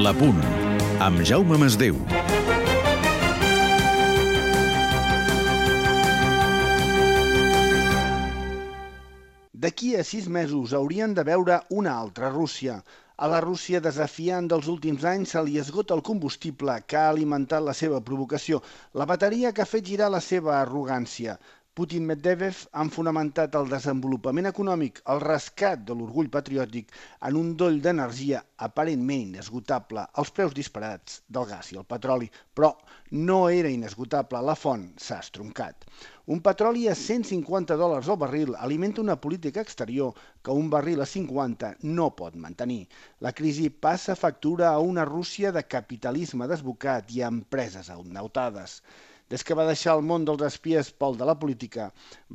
La Punt, amb Jaume Masdeu. D'aquí a 6 mesos hauríem de veure una altra Rússia. A la Rússia desafiant dels últims anys se li esgota el combustible que ha alimentat la seva provocació, la bateria que ha fet girar la seva arrogància. Putin i Medvedev han fonamentat el desenvolupament econòmic, el rescat de l'orgull patriòtic en un doll d'energia aparentment inesgotable, als preus disparats del gas i el petroli, però no era inesgotable, la font s'ha estroncat. Un petroli a $150 al barril alimenta una política exterior que un barril a 50 no pot mantenir. La crisi passa factura a una Rússia de capitalisme desbocat i a empreses endeutades. Des que va deixar el món dels espies pel de la política,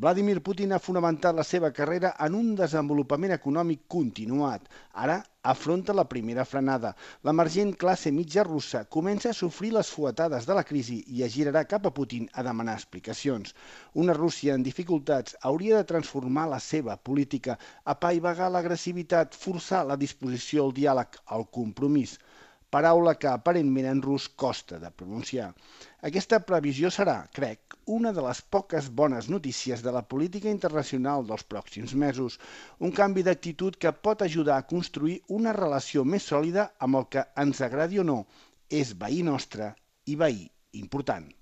Vladimir Putin ha fonamentat la seva carrera en un desenvolupament econòmic continuat. Ara afronta la primera frenada. L'emergent classe mitja russa comença a sofrir les fuetades de la crisi i es girarà cap a Putin a demanar explicacions. Una Rússia en dificultats hauria de transformar la seva política, apaivagar l'agressivitat, forçar la disposició al diàleg, al compromís. Paraula que aparentment en rus costa de pronunciar. Aquesta previsió serà, crec, una de les poques bones notícies de la política internacional dels pròxims mesos. Un canvi d'actitud que pot ajudar a construir una relació més sòlida amb el que, ens agradi o no, és veí nostre i veí important.